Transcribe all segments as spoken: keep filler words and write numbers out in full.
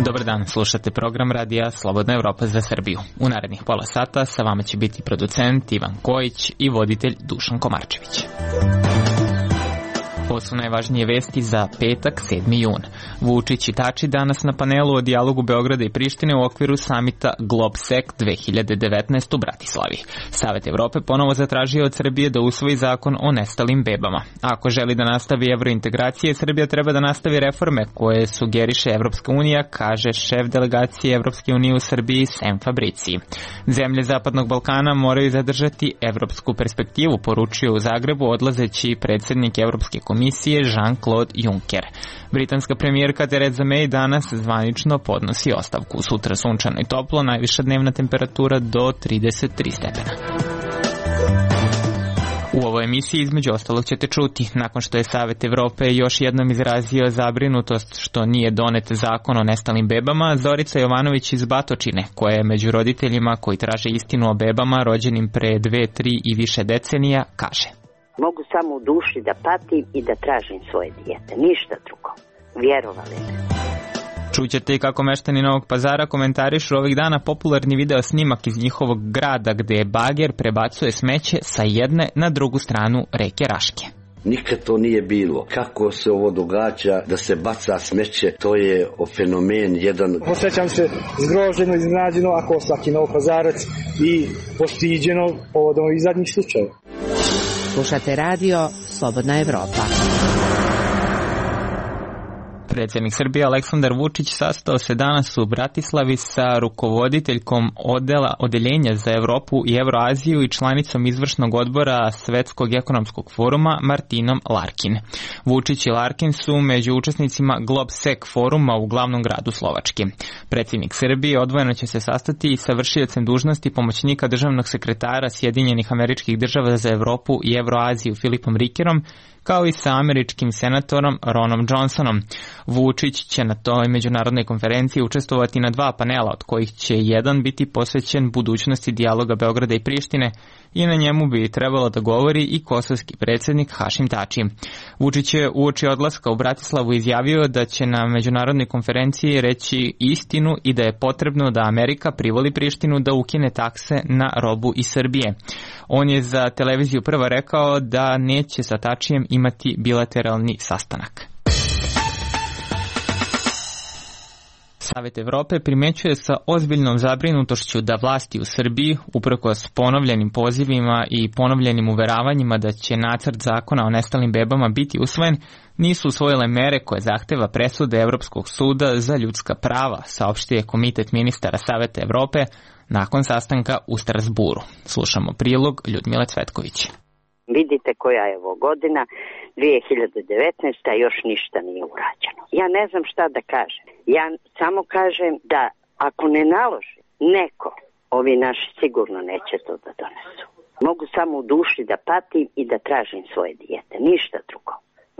Dobar dan, slušate program radija Slobodna Evropa za Srbiju. U narednih pola sata sa vama će biti producent Ivan Kojić i voditelj Dušan Komarčević. Ovo su najvažnije vesti za petak, sedmi jun. Vučić i Tači danas na panelu o dijalogu Beograda i Prištine u okviru samita GlobSec dve hiljade devetnaest u Bratislavi. Savet Evrope ponovo zatražio od Srbije da usvoji zakon o nestalim bebama. Ako želi da nastavi evrointegracije, Srbija treba da nastavi reforme koje sugeriše Evropska unija, kaže šef delegacije Evropske unije u Srbiji Sem Fabriciji. Zemlje Zapadnog Balkana moraju zadržati evropsku perspektivu, poručio u Zagrebu odlazeći predsjednik Evropske komisije Jean-Claude Juncker. Britanska premijerka Theresa May danas zvanično podnosi ostavku. Sutra sunčano i toplo, najviša dnevna temperatura do trideset tri stepena. U ovoj emisiji između ostalog ćete čuti, nakon što je Savet Evrope još jednom izrazio zabrinutost što nije donet zakon o nestalim bebama, Zorica Jovanović iz Batočine, koja je među roditeljima koji traže istinu o bebama rođenim pre dve, tri i više decenija, kaže: Mogu samo u duši da patim i da tražim svoje dijete, ništa drugo. Vjerovali me. Čućete i kako meštani Novog Pazara komentarišu ovih dana popularni video snimak iz njihovog grada gde bager prebacuje smeće sa jedne na drugu stranu reke Raške. Nikad to nije bilo. Kako se ovo događa da se baca smeće, to je fenomen jedan. Osjećam se zgroženo, iznenađeno, ako svaki Novopazarac i postiđeno povodom ovih zadnjih slučajeva. Slušate radio Slobodna Evropa. Predsjednik Srbije Aleksandar Vučić sastao se danas u Bratislavi sa rukovoditeljkom odela, odeljenja za Evropu i Evroaziju i članicom izvršnog odbora Svetskog ekonomskog foruma Martinom Larkin. Vučić i Larkin su među učesnicima GlobSec foruma u glavnom gradu Slovačke. Predsjednik Srbije odvojeno će se sastati i sa vršiocem dužnosti pomoćnika državnog sekretara Sjedinjenih Američkih Država za Evropu i Evroaziju Filipom Rikerom, kao i sa američkim senatorom Ronom Johnsonom. Vučić će na toj međunarodnoj konferenciji učestvovati na dva panela, od kojih će jedan biti posvećen budućnosti dijaloga Beograda i Prištine i na njemu bi trebalo da govori i kosovski predsjednik Hašim Tači. Vučić je uoči odlaska u Bratislavu izjavio da će na međunarodnoj konferenciji reći istinu i da je potrebno da Amerika privoli Prištinu da ukine takse na robu iz Srbije. On je za televiziju Prva rekao da neće sa Tačijem imati bilateralni sastanak. Savet Evrope primećuje sa ozbiljnom zabrinutošću da vlasti u Srbiji, uprkos ponovljenim pozivima i ponovljenim uveravanjima da će nacrt zakona o nestalim bebama biti usvojen, nisu usvojile mere koje zahteva presude Evropskog suda za ljudska prava, saopštio je Komitet ministara Saveta Evrope nakon sastanka u Strasburu. Slušamo prilog Ljudmile Cvetković. Vidite koja je ovo godina, dve hiljade devetnaesta. još ništa nije urađeno. Ja ne znam šta da kažem. Ja samo kažem da ako ne naloži neko, ovi naši sigurno neće to da donesu. Mogu samo u duši da patim i da tražim svoje dijete, ništa drugo.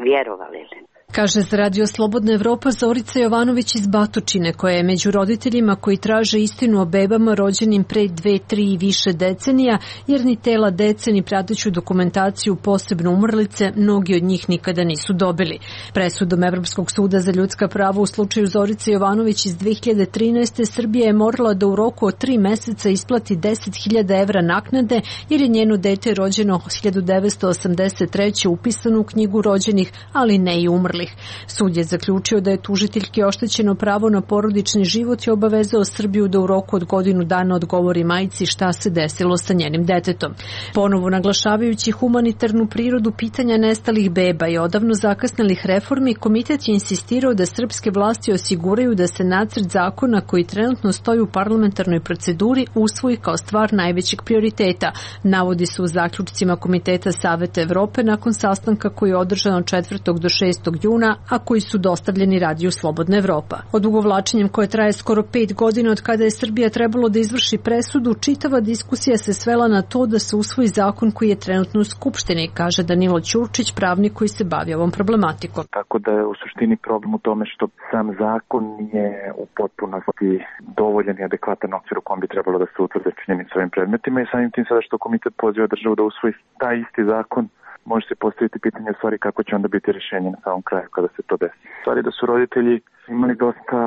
Vjerovali li? Kaže za radio Slobodna Evropa Zorica Jovanović iz Batočine, koja je među roditeljima koji traže istinu o bebama rođenim pre dve, tri i više decenija, jer ni tela dece ni prateću dokumentaciju, posebno umrlice, mnogi od njih nikada nisu dobili. Presudom Evropskog suda za ljudska prava u slučaju Zorice Jovanović iz dve hiljade trinaeste. Srbija je morala da u roku od tri meseca isplati deset hiljada evra naknade, jer je njeno dete rođeno hiljadu devetsto osamdeset treće. upisano u knjigu rođenih, ali ne i umrlih. Sud je zaključio da je tužiteljki oštećeno pravo na porodični život i obavezao Srbiju da u roku od godinu dana odgovori majci šta se desilo sa njenim detetom. Ponovo naglašavajući humanitarnu prirodu pitanja nestalih beba i odavno zakasnelih reformi, komitet je insistirao da srpske vlasti osiguraju da se nacrt zakona koji trenutno stoji u parlamentarnoj proceduri usvoji kao stvar najvećeg prioriteta, navodi se u zaključcima Komiteta Saveta Evrope nakon sastanka koji je održan od četvrtog do šestog juna, a koji su dostavljeni radiju Slobodna Evropa. Odugovlačenjem koje traje skoro pet godina od kada je Srbija trebalo da izvrši presudu, čitava diskusija se svela na to da se usvoji zakon koji je trenutno u Skupštini, kaže Danilo Ćurčić, pravnik koji se bavi ovom problematikom. Tako da je u suštini problem u tome što sam zakon nije u potpunosti dovoljan i adekvatan okvir u kom bi trebalo da se utvrde činjenice ovim predmetima i samim tim sada što komitet poziva državu da usvoji taj isti zakon, može se postaviti pitanje u stvari kako će onda biti rješenje na samom kraju kada se to desi. Stvari da su roditelji imali dosta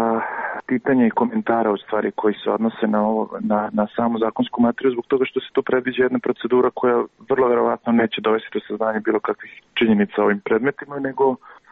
pitanja i komentara u stvari koji se odnose na, ovo, na, na samu zakonsku materiju zbog toga što se tu predviđa jedna procedura koja vrlo verovatno neće dovesti do saznanja bilo kakvih činjenica ovim predmetima, nego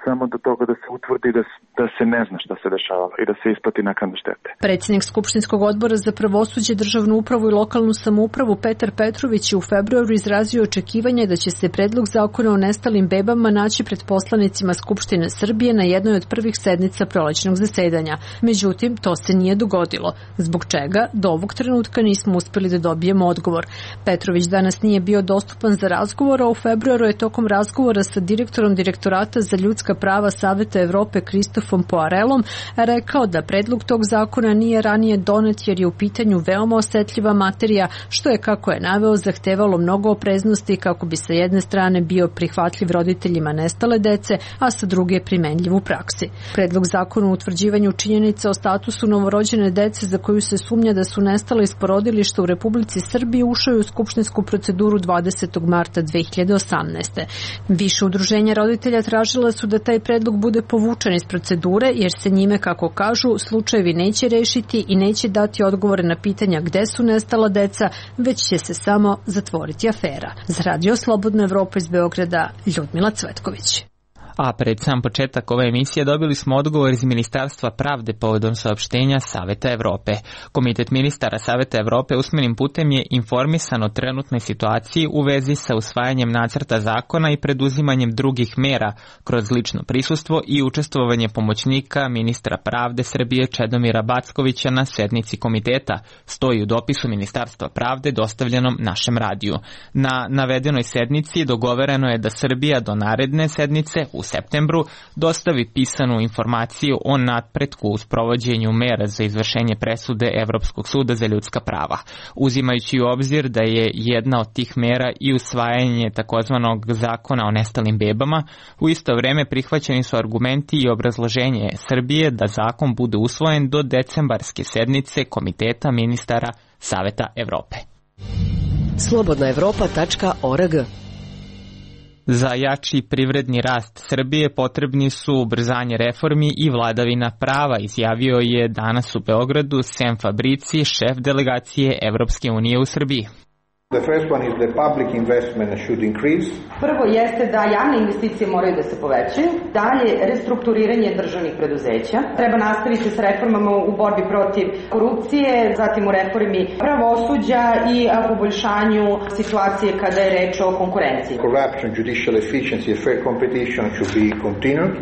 samo do toga da se utvrdi da, da se ne zna šta se dešava i da se isplati naknadna štete. Predsjednik Skupštinskog odbora za pravosuđe, državnu upravu i lokalnu samoupravu Petar Petrović je u februaru izrazio očekivanje da će se predlog zakona o nestalim bebama naći pred poslanicima Skupštine Srbije na jednoj od prvih sednica prolećnog zasedanja. Međutim, to se nije dogodilo, zbog čega do ovog trenutka nismo uspeli da dobijemo odgovor. Petrović danas nije bio dostupan za razgovor, a u februaru je tokom razgovora sa direktorom Direktorata za ljudska prava Saveta Evrope Kristofom Poarelom rekao da predlog tog zakona nije ranije donet jer je u pitanju veoma osetljiva materija, što je, kako je naveo, zahtevalo mnogo opreznosti kako bi sa jedne strane bio prihvatljiv roditeljima nestale dece, a sa druge primenljiv u praksi. Predlog zakona o utvrđivanju činjenica o statusu novorođene dece za koju se sumnja da su nestale iz porodilišta u Republici Srbiji ušao je u skupštinsku proceduru dvadesetog marta dve hiljade osamnaeste. Više udruženja roditelja tražila su da taj predlog bude povučen iz procedure jer se njime, kako kažu, slučajevi neće rešiti i neće dati odgovore na pitanja gde su nestala deca, već će se samo zatvoriti afera. Za Radio Slobodna Evropa iz Beograda, Ljudmila Cvetković. A pred sam početak ove emisije dobili smo odgovor iz Ministarstva pravde povodom saopštenja Saveta Evrope. Komitet ministara Saveta Evrope usmenim putem je informisan o trenutnoj situaciji u vezi sa usvajanjem nacrta zakona i preduzimanjem drugih mera kroz lično prisustvo i učestvovanje pomoćnika ministra pravde Srbije Čedomira Backovića na sednici komiteta, stoji u dopisu Ministarstva pravde dostavljenom našem radiju. Na navedenoj sednici dogovoreno je da Srbija do naredne sednice u septembru dostavi pisanu informaciju o napretku u sprovođenju mera za izvršenje presude Evropskog suda za ljudska prava, uzimajući u obzir da je jedna od tih mera i usvajanje takozvanog zakona o nestalim bebama. U isto vreme prihvaćeni su argumenti i obrazloženje Srbije da zakon bude usvojen do decembarske sednice Komiteta ministara Saveta Evrope. slobodna evropa tačka org. Za jači privredni rast Srbije potrebni su ubrzanje reformi i vladavina prava, izjavio je danas u Beogradu Sem Fabrici, šef delegacije Evropske unije u Srbiji. The first one is the public investment should increase. Prvo jeste da javne investicije moraju da se povećaju, dalje restrukturiranje državnih preduzeća, treba nastaviti s reformama u borbi protiv korupcije, zatim u reformi pravosuđa i poboljšanju situacije kada je reč o konkurenciji. Corruption, judicial efficiency and fair competition should be continued.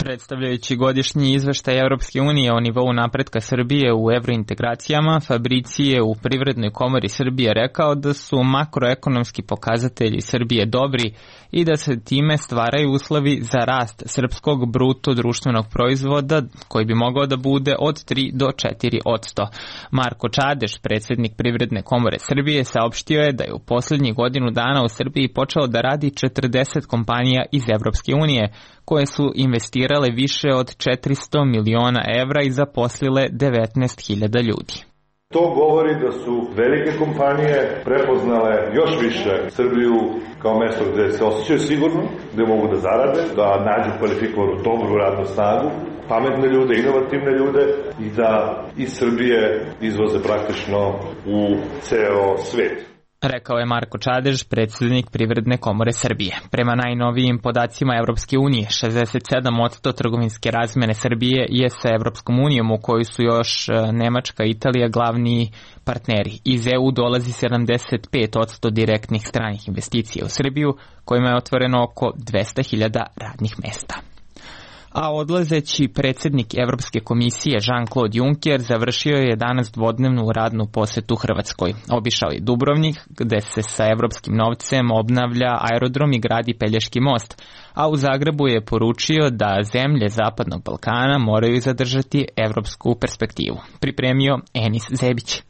Predstavljajući godišnji izveštaj Evropske unije o nivou napretka Srbije u evrointegracijama, Fabrici je u Privrednoj komori Srbije rekao da su makroekonomski pokazatelji Srbije dobri i da se time stvaraju uslovi za rast srpskog bruto društvenog proizvoda koji bi mogao da bude od tri do četiri posto. Marko Čadež, predsjednik Privredne komore Srbije, saopštio je da je u posljednjih godinu dana u Srbiji počeo da radi četrdeset kompanija iz Evropske unije, koje su investirale više od četiristo miliona evra i zaposlile devetnaest hiljada ljudi. To govori da su velike kompanije prepoznale još više Srbiju kao mesto gde se osjećaju sigurno, gde mogu da zarade, da nađu kvalifikovanu dobru radnu snagu, pametne ljude, inovativne ljude i da iz Srbije izvoze praktično u ceo svet. Rekao je Marko Čadež, predsjednik Privredne komore Srbije. Prema najnovijim podacima Evropske unije, šezdeset sedam posto trgovinske razmene Srbije je sa Evropskom unijom, u kojoj su još Nemačka i Italija glavni partneri. Iz E U dolazi sedamdeset pet posto direktnih stranih investicija u Srbiju, kojima je otvoreno oko dvesta hiljada radnih mesta. A odlazeći predsjednik Evropske komisije Jean-Claude Juncker završio je danas dvodnevnu radnu posetu Hrvatskoj. Obišao je Dubrovnik, gde se sa evropskim novcem obnavlja aerodrom i gradi Pelješki most, a u Zagrebu je poručio da zemlje Zapadnog Balkana moraju zadržati evropsku perspektivu. Pripremio Enis Zebić.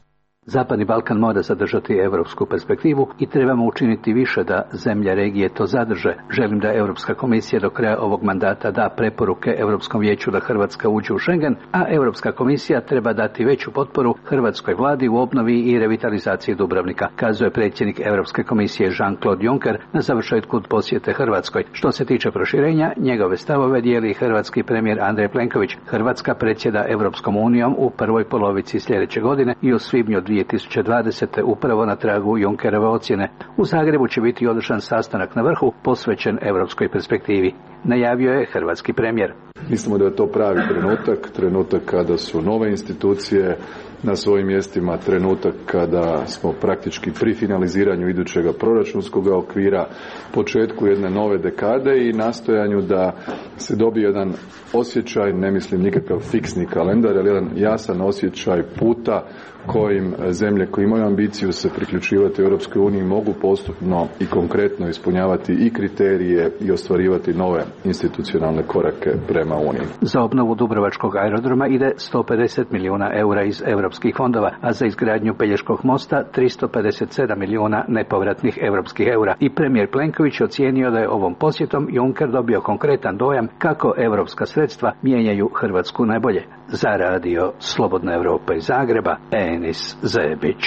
Zapadni Balkan mora zadržati evropsku perspektivu i trebamo učiniti više da zemlje regije to zadrže. Želim da Europska komisija do kraja ovog mandata da preporuke Europskom vijeću da Hrvatska uđe u Schengen, a Europska komisija treba dati veću potporu hrvatskoj vladi u obnovi i revitalizaciji Dubrovnika, kazuje predsjednik Europske komisije Jean-Claude Juncker na završetku posjete Hrvatskoj. Što se tiče proširenja, njegove stavove dijeli hrvatski premijer Andrej Plenković. Hrvatska predsjeda Europskom unijom u prvoj polovici sljedeće godine i u svibnju dvije tisuće dvadesete upravo na tragu Junckerove ocjene. U Zagrebu će biti održan sastanak na vrhu posvećen europskoj perspektivi, najavio je hrvatski premijer. Mislimo da je to pravi trenutak, trenutak kada su nove institucije na svojim mjestima, trenutak kada smo praktički pri finaliziranju idućega proračunskog okvira, početku jedne nove dekade i nastojanju da se dobije jedan osjećaj, ne mislim nikakav fiksni kalendar, ali jedan jasan osjećaj puta kojim zemlje koje imaju ambiciju se priključivati Europskoj uniji mogu postupno i konkretno ispunjavati i kriterije i ostvarivati nove institucionalne korake prema Uniji. Za obnovu Dubrovačkog aerodroma ide sto pedeset milijuna eura iz europskih fondova, a za izgradnju Pelješkog mosta tristo pedeset sedam milijuna nepovratnih europskih eura. I premijer Plenković ocijenio da je ovom posjetom Juncker dobio konkretan dojam kako europska sredstva mijenjaju Hrvatsku najbolje. Za radio Slobodna Evropa iz Zagreba, Enis Zebić.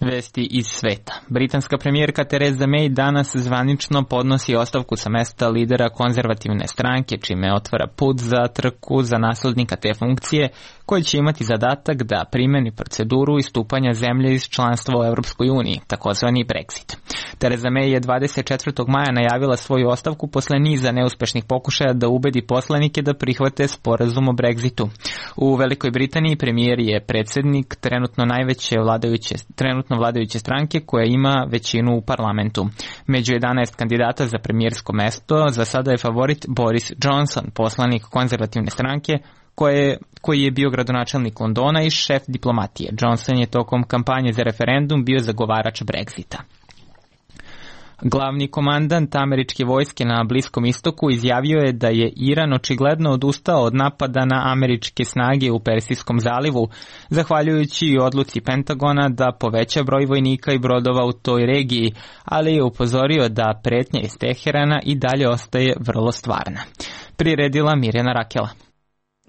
Vesti iz sveta. Britanska premijerka Theresa May danas zvanično podnosi ostavku sa mesta lidera konzervativne stranke, čime otvara put za trku za naslednika te funkcije, koji će imati zadatak da primeni proceduru istupanja zemlje iz članstva u Europskoj uniji, takozvani Brexit. Theresa May je dvadeset četvrtog maja najavila svoju ostavku posle niza neuspešnih pokušaja da ubedi poslanike da prihvate sporazum o Brexitu. U Velikoj Britaniji premijer je predsjednik trenutno najveće vladajuće, trenutno vladajuće stranke koja ima većinu u parlamentu. Među jedanaest kandidata za premijersko mesto za sada je favorit Boris Johnson, poslanik konzervativne stranke, koje, koji je bio gradonačelnik Londona i šef diplomatije. Johnson je tokom kampanje za referendum bio zagovarač Brexita. Glavni komandant američke vojske na Bliskom istoku izjavio je da je Iran očigledno odustao od napada na američke snage u Persijskom zalivu, zahvaljujući odluci Pentagona da poveća broj vojnika i brodova u toj regiji, ali je upozorio da pretnja iz Teherana i dalje ostaje vrlo stvarna. Priredila Mirjana Rakela.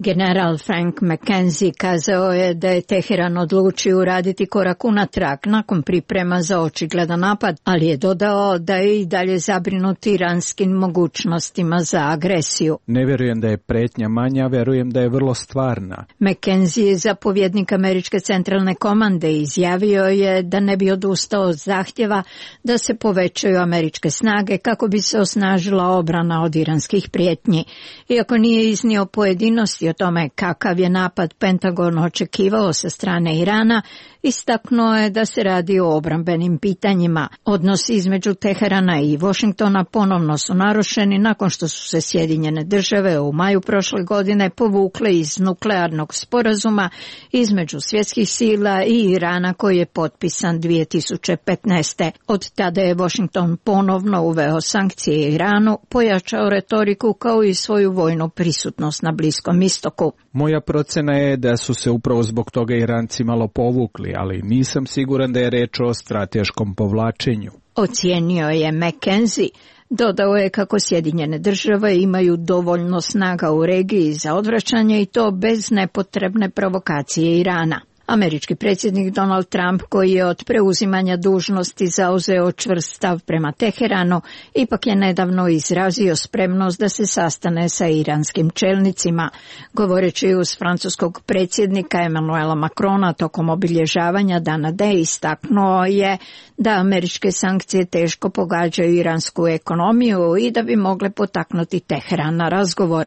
General Frank McKenzie kazao je da je Teheran odlučio uraditi korak unatrag nakon priprema za očigledan napad, ali je dodao da je i dalje zabrinut iranskim mogućnostima za agresiju. Ne vjerujem da je pretnja manja, vjerujem da je vrlo stvarna. McKenzie je zapovjednik američke centralne komande i izjavio je da ne bi odustao od zahtjeva da se povećaju američke snage kako bi se osnažila obrana od iranskih prijetnji. Iako nije iznio pojedinosti o tome kakav je napad Pentagon očekivao sa strane Irana, istaknuo je da se radi o obrambenim pitanjima. Odnosi između Teherana i Washingtona ponovno su narušeni nakon što su se Sjedinjene države u maju prošle godine povukle iz nuklearnog sporazuma između svjetskih sila i Irana koji je potpisan dvije tisuće petnaeste. Od tada je Washington ponovno uveo sankcije Iranu, pojačao retoriku kao i svoju vojnu prisutnost na Bliskom istoku. Moja procena je da su se upravo zbog toga Iranci malo povukli, ali nisam siguran da je reč o strateškom povlačenju. Ocijenio je McKenzie. Dodao je kako Sjedinjene države imaju dovoljno snaga u regiji za odvraćanje i to bez nepotrebne provokacije Irana. Američki predsjednik Donald Trump, koji je od preuzimanja dužnosti zauzeo čvrst stav prema Teheranu, ipak je nedavno izrazio spremnost da se sastane sa iranskim čelnicima. Govoreći uz francuskog predsjednika Emmanuela Macrona tokom obilježavanja Dana D, istaknuo je da američke sankcije teško pogađaju iransku ekonomiju i da bi mogle potaknuti Teheran na razgovor.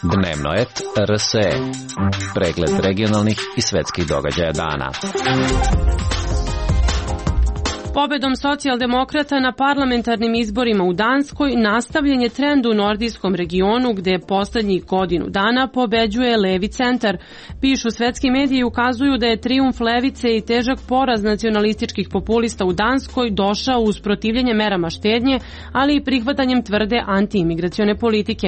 Dnevno et R S E. Pregled regionalnih i svetskih događaja dana. Pobedom socijaldemokrata na parlamentarnim izborima u Danskoj nastavljen je trend u nordijskom regionu gde poslednjih godinu dana pobeđuje levi centar. Pišu svetski mediji i ukazuju da je trijumf levice i težak poraz nacionalističkih populista u Danskoj došao uz protivljenje merama štednje, ali i prihvatanjem tvrde antiimigracione politike.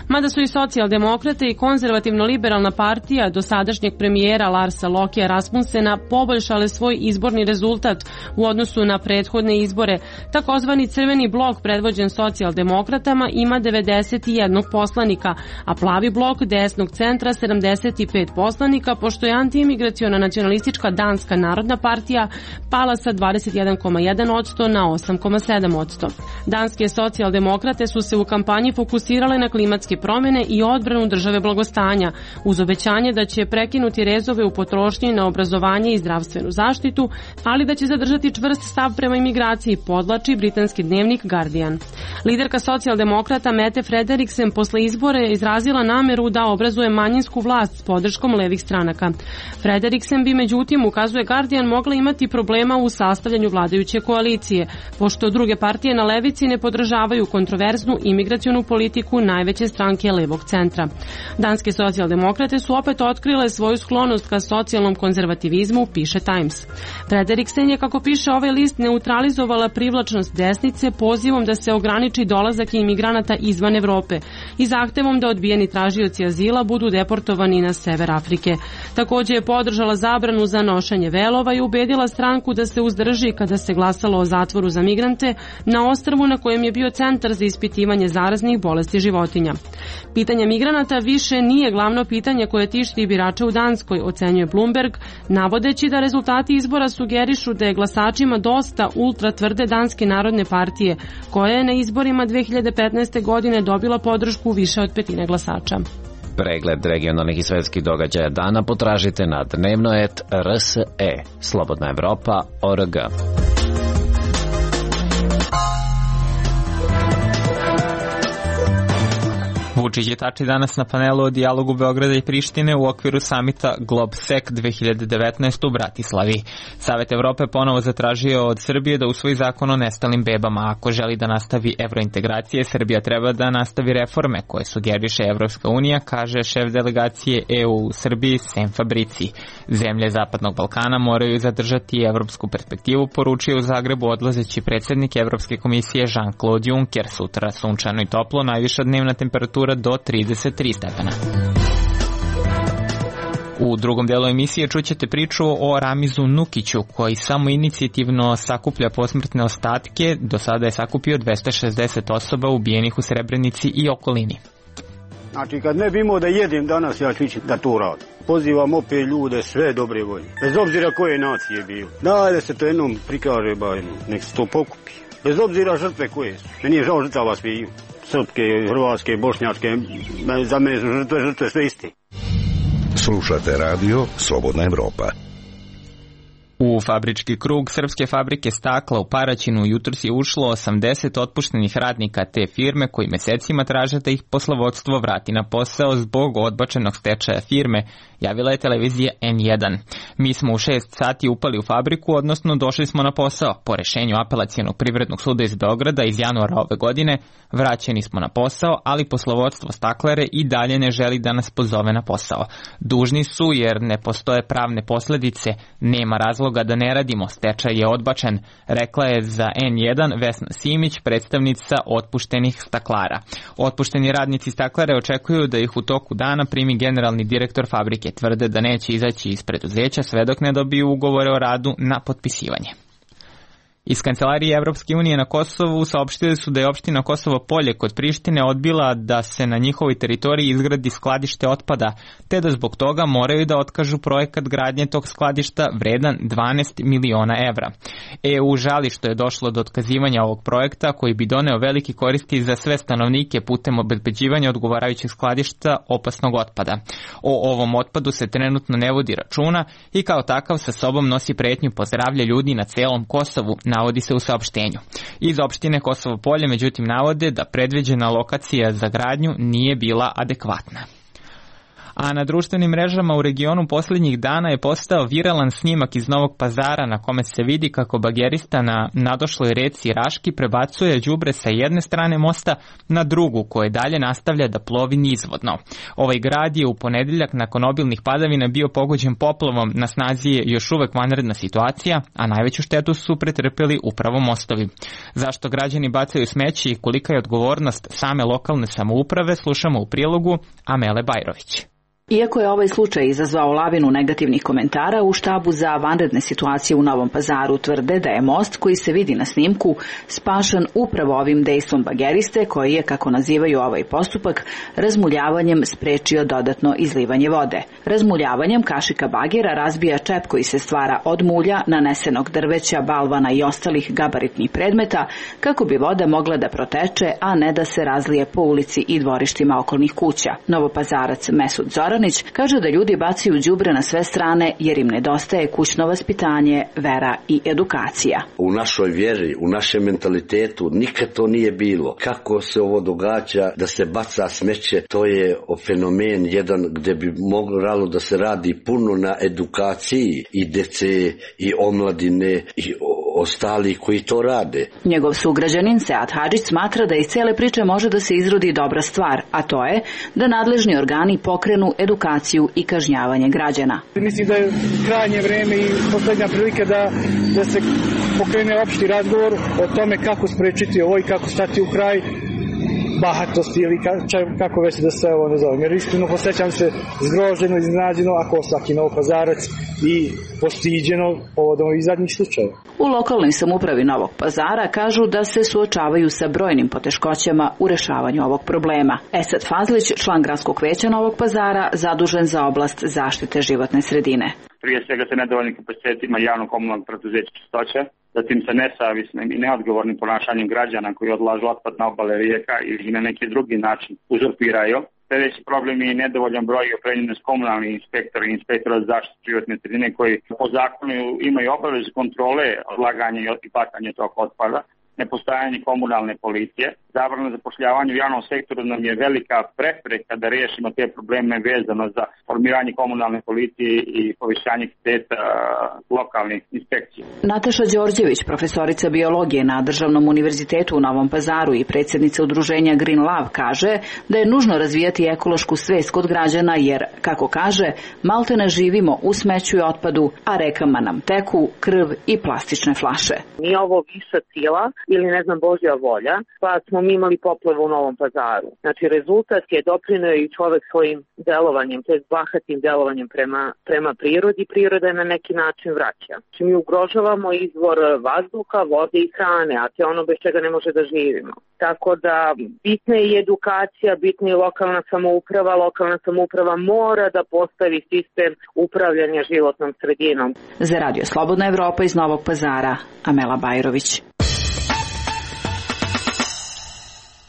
Mada su i socijaldemokrate i konzervativno-liberalna partija dosadašnjeg premijera Larsa Lokea Rasmussena poboljšale svoj izborni rezultat u odnosu na prethodne izbore. Takozvani crveni blok predvođen socijaldemokratama ima devedeset jedan poslanika, a plavi blok desnog centra sedamdeset pet poslanika, pošto je antiimigraciona nacionalistička Danska narodna partija pala sa dvadeset jedan zarez jedan posto na osam zarez sedam posto. Danske socijaldemokrate su se u kampanji fokusirale na klimatske promene i odbranu države blagostanja, uz obećanje da će prekinuti rezove u potrošnji na obrazovanje i zdravstvenu zaštitu, ali da će zadržati čvrst stav prema imigraciji, podlači britanski dnevnik Guardian. Liderka socijaldemokrata Mette Frederiksen posle izbora je izrazila nameru da obrazuje manjinsku vlast s podrškom levih stranaka. Frederiksen bi međutim, ukazuje Guardian, mogla imati problema u sastavljanju vladajuće koalicije, pošto druge partije na levici ne podržavaju kontroverznu imigracionu politiku najveće stranke levog centra. Danske socijaldemokrate su opet otkrile svoju sklonost ka socijalnom konzervativizmu, piše Times. Frederiksen je, kako piše ovaj list, neutralizovala privlačnost desnice pozivom da se ograniči dolazak imigranata izvan Evrope i zahtevom da odbijeni tražioci azila budu deportovani na sever Afrike. Takođe je podržala zabranu za nošenje velova i ubedila stranku da se uzdrži kada se glasalo o zatvoru za migrante na ostrvu na kojem je bio centar za ispitivanje zaraznih bolesti životinja. Pitanje migranata više nije glavno pitanje koje tišti birače u Danskoj, ocenjuje Bloomberg, navodeći da rezultati izbora sugerišu da je glasačima dosta ultra tvrde Danske narodne partije, koja je na izborima dve hiljade petnaeste. godine dobila podršku više od petine glasača. Pregled regionalnih i svetskih događaja dana potražite na dnevnoet R S E, Slobodna Evropa, O R G. Vučić je tači danas na panelu o dijalogu Beograda i Prištine u okviru samita GlobSec dve hiljade devetnaest u Bratislavi. Savet Evrope ponovo zatražio od Srbije da usvoji zakon o nestalim bebama. Ako želi da nastavi evrointegracije, Srbija treba da nastavi reforme koje sugeriše Evropska unija, kaže šef delegacije E U u Srbiji Sem Fabrici. Zemlje Zapadnog Balkana moraju zadržati evropsku perspektivu, poručio u Zagrebu odlazeći predsjednik Evropske komisije Jean-Claude Juncker. Sutra sunčano i toplo, najviša dnevna temperatura do trideset tri stepena. U drugom delu emisije čućete priču o Ramizu Nukiću, koji samo inicijativno sakuplja posmrtne ostatke. Do sada je sakupio dvesta šezdeset osoba ubijenih u Srebrenici i okolini. Znači, kad ne bi imao da jedem danas, ja ću ići da to radim. Pozivam opet ljude sve dobre volje, bez obzira koje nacije bilo. Daj da se to jednom prikaže, ba, nek se to pokupi. Bez obzira žrtve koje su. Meni je žao žrtava sviju. Srpske, hrvatske, bošnjačke, za mene su žrtve, žrtve sve isti. Slušate radio Slobodna Evropa. U fabrički krug srpske fabrike stakla u Paraćinu jutros je ušlo osamdeset otpuštenih radnika te firme koji mesecima traže da ih poslovodstvo vrati na posao zbog odbačenog stečaja firme, javila je televizija N jedan. Mi smo u šest sati upali u fabriku, odnosno došli smo na posao. Po rešenju Apelacionog privrednog suda iz Beograda iz januara ove godine vraćeni smo na posao, ali poslovodstvo staklare i dalje ne želi da nas pozove na posao. Dužni su jer ne postoje pravne posledice, nema razloga da ne radimo, stečaj je odbačen, rekla je za N jedan Vesna Simić, predstavnica otpuštenih staklara. Otpušteni radnici staklare očekuju da ih u toku dana primi generalni direktor fabrike. Tvrde da neće izaći iz preduzeća sve dok ne dobiju ugovore o radu na potpisivanje. Iz Kancelarije Evropske unije na Kosovu saopštili su da je opština Kosovo Polje kod Prištine odbila da se na njihovoj teritoriji izgradi skladište otpada, te da zbog toga moraju da otkažu projekat gradnje tog skladišta vredan dvanaest miliona evra. E U žali što je došlo do otkazivanja ovog projekta koji bi doneo veliki koristi za sve stanovnike putem obezbeđivanja odgovarajućeg skladišta opasnog otpada. O ovom otpadu se trenutno ne vodi računa i kao takav sa sobom nosi pretnju po zdravlje ljudi na celom Kosovu, navodi se u saopštenju. Iz opštine Kosovo Polje međutim navode da predviđena lokacija za gradnju nije bila adekvatna. A na društvenim mrežama u regionu posljednjih dana je postao viralan snimak iz Novog Pazara na kome se vidi kako bagerista na nadošloj reci Raški prebacuje đubre sa jedne strane mosta na drugu, koje dalje nastavlja da plovi nizvodno. Ovaj grad je u ponedeljak nakon obilnih padavina bio pogođen poplavom, na snazi je još uvek vanredna situacija, a najveću štetu su pretrpeli upravo mostovi. Zašto građani bacaju smeće i kolika je odgovornost same lokalne samouprave, slušamo u prilogu Amele Bajrović. Iako je ovaj slučaj izazvao lavinu negativnih komentara, u štabu za vanredne situacije u Novom Pazaru tvrde da je most koji se vidi na snimku spašan upravo ovim dejstvom bageriste koji je, kako nazivaju ovaj postupak, razmuljavanjem sprečio dodatno izlivanje vode. Razmuljavanjem kašika bagera razbija čep koji se stvara od mulja, nanesenog drveća, balvana i ostalih gabaritnih predmeta kako bi voda mogla da proteče, a ne da se razlije po ulici i dvorištima okolnih kuća. Novopazarac Mesud Zoran kaže da ljudi bacaju đubre na sve strane jer im nedostaje kućno vaspitanje, vera i edukacija. U našoj vjeri, u našem mentalitetu nikad to nije bilo. Kako se ovo događa da se baca smeće, to je fenomen jedan gdje bi moglo da se radi puno na edukaciji i dece i omladine i ostali koji to rade. Njegov sugrađanin Sead Hadžić smatra da iz cele priče može da se izrodi dobra stvar, a to je da nadležni organi pokrenu edukaciju i kažnjavanje građana. Mislim da je krajnje vreme i poslednja prilika da, da se pokrene opšti razgovor o tome kako sprečiti ovo i kako stati u kraj bahatosti ili kako već da se ovo ne zove. Jer iskreno posjećam se zgroženo, iznenađeno, ako svaki Novopazarac i postiđeno povodom ovih zadnjih slučajeva. U lokalnoj samoupravi Novog Pazara kažu da se suočavaju sa brojnim poteškoćama u rešavanju ovog problema. Esad Fazlić, član gradskog veća Novog Pazara, zadužen za oblast zaštite životne sredine. Prije svega sa nedovoljnim kapacitetima javno-komunalnog preduzeća Čistoća, zatim sa nesavisnim i neodgovornim ponašanjem građana koji odlažu otpad na obale rijeka ili na neki drugi način uzurpiraju. Sljedeći problem je nedovoljan broj i opremljenost komunalnih inspektora i inspektora za zaštitu životne sredine koji po zakonu imaju obavezu kontrole odlaganja i bacanja tog otpada, nepostojanje komunalne policije, zabrana zapošljavanja u javnom sektoru nam je velika prepreka da riješimo te probleme vezano za formiranje komunalne policije i povišanje kvaliteta lokalnih inspekcija. Nataša Đorđević, profesorica biologije na Državnom univerzitetu u Novom Pazaru i predsjednica udruženja Green Love, kaže da je nužno razvijati ekološku svest kod građana jer, kako kaže, malte ne živimo u smeću i otpadu, a rekama nam teku krv i plastične flaše. Nije ovo viša sila ili ne znam Božja volja, pa smo mi imali poplavu u Novom Pazaru. Znači rezultat je doprineo i čovek svojim delovanjem, to je bahatim delovanjem prema, prema prirodi, priroda je na neki način vraća. Znači mi ugrožavamo izvor vazduha, vode i hrane, a to je ono bez čega ne može da živimo. Tako da bitna je i edukacija, bitna je lokalna samouprava, lokalna samouprava mora da postavi sistem upravljanja životnom sredinom. Za Radio Slobodna Evropa iz Novog Pazara, Amela Bajrović.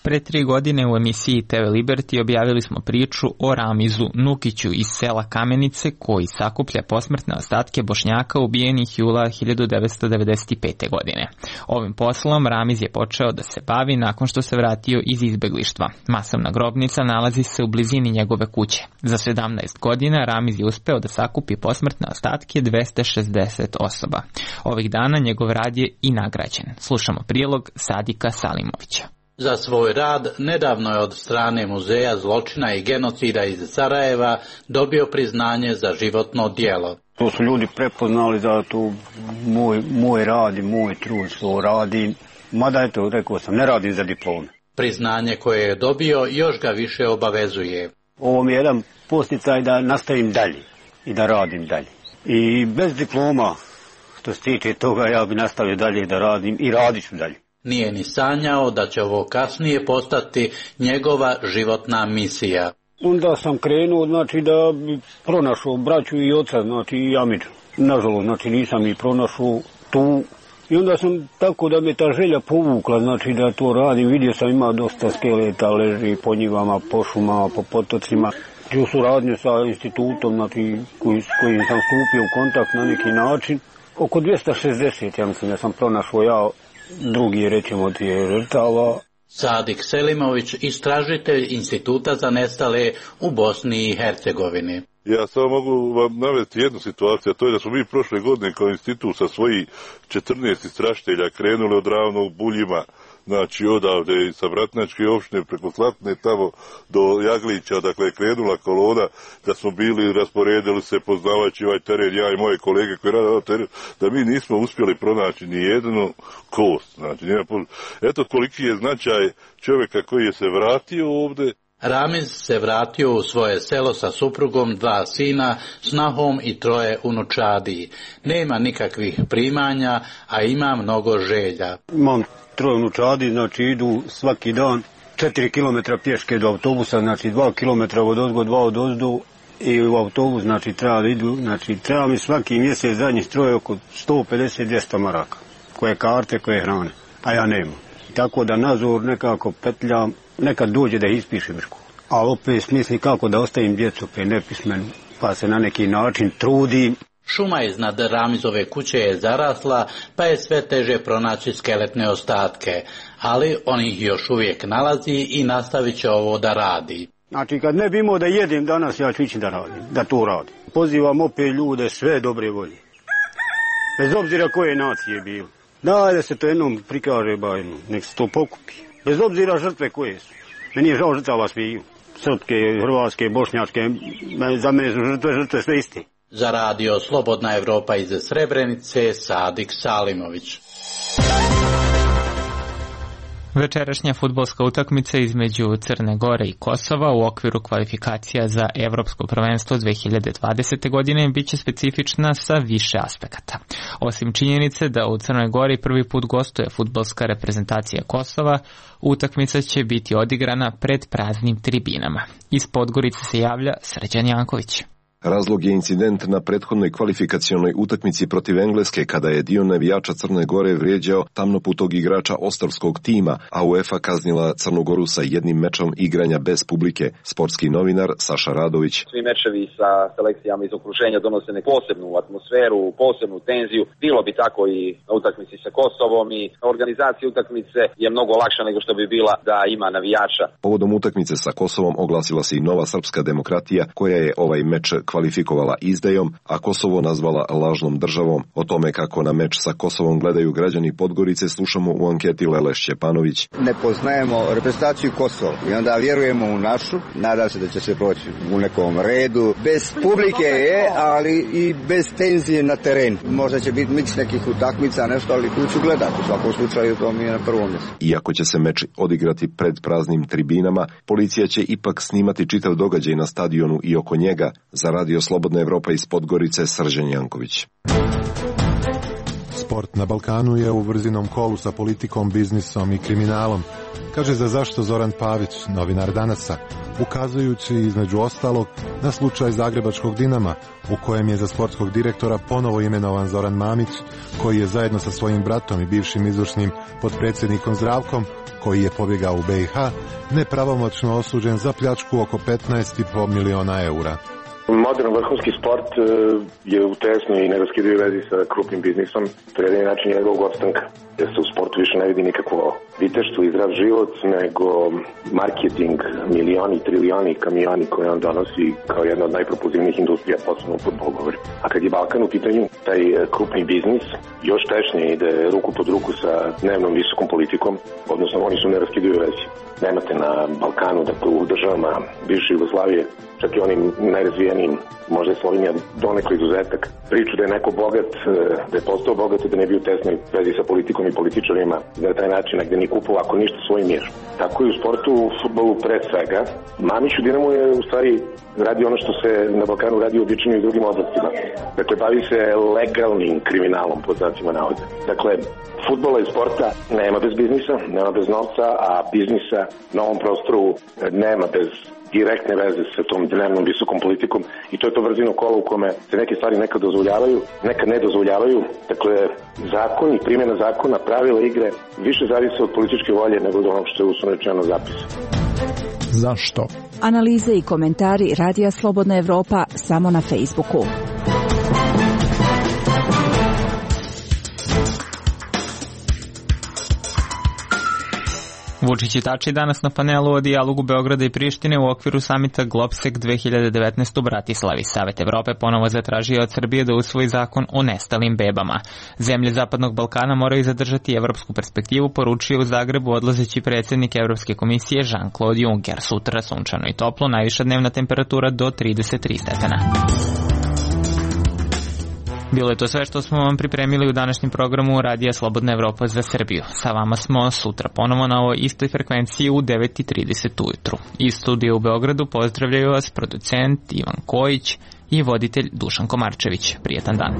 Pre tri godine u emisiji te ve Liberty objavili smo priču o Ramizu Nukiću iz sela Kamenice koji sakuplja posmrtne ostatke Bošnjaka ubijenih jula hiljadu devetsto devedeset pete. godine. Ovim poslom Ramiz je počeo da se bavi nakon što se vratio iz izbeglištva. Masovna grobnica nalazi se u blizini njegove kuće. Za sedamnaest godina Ramiz je uspeo da sakupi posmrtne ostatke dvesta šezdeset osoba. Ovih dana njegov rad je i nagrađen. Slušamo prilog Sadika Salimovića. Za svoj rad nedavno je od strane Muzeja zločina i genocida iz Sarajeva dobio priznanje za životno djelo. To su ljudi prepoznali za to moj, moj rad i moj trud što radim. Mada eto, rekao sam, ne radim za diplome. Priznanje koje je dobio još ga više obavezuje. Ovo mi je jedan posticaj da nastavim dalje i da radim dalje. I bez diploma, što se tiče toga, ja bi nastavio dalje da radim i radit ću dalje. Nije ni sanjao da će ovo kasnije postati njegova životna misija. Onda sam krenuo, znači, da bi pronašao braću i oca, znači, i Amidžu. Nažalost, znači, nisam ih pronašao tu. I onda sam tako da me ta želja povukla, znači, da to radim. Vidio sam ima dosta skeleta, leži po njivama, po šumama, po potocima. U suradnju sa institutom, znači, koji, s kojim sam stupio u kontakt na neki način. Oko dvesta šezdeset, ja mislim, da sam pronašao ja drugi, rećemo, tije žrtava. Sadik Selimović, istražitelj Instituta za nestale u Bosni i Hercegovini. Ja samo mogu vam navesti jednu situaciju, a to je da smo mi prošle godine kao institut sa svojih četrnaest istražitelja krenuli od Ravnog Buljima, znači odavde i sa Vratnačke opštine preko Slatne tamo do Jaglića, dakle je krenula kolona, da smo bili, rasporedili se poznavajući ovaj teren, ja i moje kolege koji rade ovaj teren, da mi nismo uspjeli pronaći ni jednu kost. Znači, eto koliki je značaj čovjeka koji je se vratio ovde. Ramiz se vratio u svoje selo sa suprugom, dva sina, snahom i troje unučadi. Nema nikakvih primanja, a ima mnogo želja. Imam troje unučadi, znači idu svaki dan četiri kilometra pješke do autobusa, znači dva kilometra od ozgo, dva od ozdu i u autobus, znači treba da idu, znači treba mi svaki mjesec zadnjih troje oko sto pedeset do dvjesto maraka, koje karte, koje hrane, a ja nemam. Tako da nazor nekako petljam, nekad dođe da ispišem školu, ali opet smisli kako da ostavim djecu opet nepismenu, pa se na neki način trudim. Šuma iznad Ramizove kuće je zarasla, pa je sve teže pronaći skeletne ostatke, ali on ih još uvijek nalazi i nastavit će ovo da radi. Znači kad ne bi imao da jedim danas, ja ću ići da radim, da to radim. Pozivam opet ljude sve dobre volje, bez obzira koje nacije bilo. Daj da se to jednom prikaže, bajno, nek se to pokupi. Bez obzira žrtve koje su. Meni je žao žrtava sviju. Srpske, hrvatske, bošnjačke, za mene su žrtve, žrtve sve isti. Za radio Slobodna Evropa iz Srebrenice, Sadik Salimović. Večerašnja fudbalska utakmica između Crne Gore i Kosova u okviru kvalifikacija za Evropsko prvenstvo dve hiljade dvadesete. godine biće specifična sa više aspekata. Osim činjenice da u Crnoj Gori prvi put gostuje fudbalska reprezentacija Kosova, utakmica će biti odigrana pred praznim tribinama. Iz Podgorice se javlja Srđan Janković. Razlog je incident na prethodnoj kvalifikacionoj utakmici protiv Engleske kada je dio navijača Crne Gore vrijeđao tamnoputog igrača Ostravskog tima, a UEFA kaznila Crnu Goru sa jednim mečom igranja bez publike. Sportski novinar Saša Radović. Svi mečevi sa selekcijama iz okruženja donose neku posebnu atmosferu, posebnu tenziju. Bilo bi tako i na utakmici sa Kosovom i organizacija utakmice je mnogo lakša nego što bi bila da ima navijača. Povodom utakmice sa Kosovom oglasila se i Nova srpska demokratija koja je ovaj meč kvalifikovala izdajom, a Kosovo nazvala lažnom državom. O tome kako na meč sa Kosovom gledaju građani Podgorice slušamo u anketi Lele Šćepanović. Ne poznajemo reprezentaciju Kosova i onda vjerujemo u našu. Nadam se da će se proći u nekom redu. Bez publike je, ali i bez tenzije na terenu. Možda će biti miks nekih utakmica, nešto, ali tu ću gledati. U svakom slučaju to mi je na prvom mjestu. Iako će se meč odigrati pred praznim tribinama, policija će ipak snimati čitav događaj na stadionu i oko njega. Za radio Slobodna Evropa iz Podgorice, Srđan Janković. Sport na Balkanu je u vrzinom kolu sa politikom, biznisom i kriminalom, kaže za zašto Zoran Pavić, novinar Danasa, ukazujući između ostalog na slučaj Zagrebačkog Dinama, u kojem je za sportskog direktora ponovo imenovan Zoran Mamić, koji je zajedno sa svojim bratom i bivšim izvršnim potpredsjednikom Zdravkom, koji je pobjegao u be i ha, nepravomoćno osuđen za pljačku oko petnaest i po miliona eura. Modern vrhunski sport je u tesnoj i neraskidivoj vezi sa krupnim biznisom. To je jedini način njegovog opstanka. Jer se u sportu više ne vidi nikakvo viteštvo i zdrav život, nego marketing, milioni, trilioni, kamioni koje on donosi kao jedna od najpropulzivnijih industrija, posebno u fudbalu govori. A kad je Balkan u pitanju, taj krupni biznis još tešnije ide ruku pod ruku sa dnevnom visokom politikom, odnosno oni su u neraskidivoj vezi. Nemate na Balkanu, dakle u državama bivše Jugoslavije, čak i onim najrazvijenijim, možda je Slovenija donekle izuzetak, priču da je neko bogat, da je postao bogat i da ne bi u tesnoj vezi sa politikom i političarima, da na taj način negde ni kupu ako ništa svoj mir. Tako i u sportu, u fudbalu pre svega. Mamić u Dinamu je u stvari radi ono što se na Balkanu radi obično i u drugim oblastima. Dakle, bavi se legalnim kriminalom, pod znacima navoda. Dakle, fudbala i sporta nema bez biznisa, nema bez novca, a biznisa na ovom prostoru nema bez direktne veze sa tom dnevnom visokom politikom i to je to vrzino kolo u kome se neke stvari nekad dozvoljavaju, nekad ne dozvoljavaju. Dakle, zakon i primjena zakona, pravila igre više zavise od političke volje nego od onog što je uslovno rečeno zapisa. Zašto? Analize i komentari Radija Slobodna Evropa samo na Facebooku. Vučić i Tači danas na panelu o dijalogu Beograda i Prištine u okviru samita Globsek dve hiljade devetnaest u Bratislavi. Savet Evrope ponovo zatražio od Srbije da usvoji zakon o nestalim bebama. Zemlje Zapadnog Balkana moraju zadržati evropsku perspektivu, poručio u Zagrebu odlazeći predsjednik Evropske komisije Jean-Claude Juncker. Sutra sunčano i toplo, najviša dnevna temperatura do trideset tri stepena. Bilo je to sve što smo vam pripremili u današnjem programu Radija Slobodna Evropa za Srbiju. Sa vama smo sutra ponovo na ovoj istoj frekvenciji u devet i trideset ujutru. Iz studija u Beogradu pozdravljaju vas producent Ivan Kojić i voditelj Dušan Komarčević. Prijetan dan.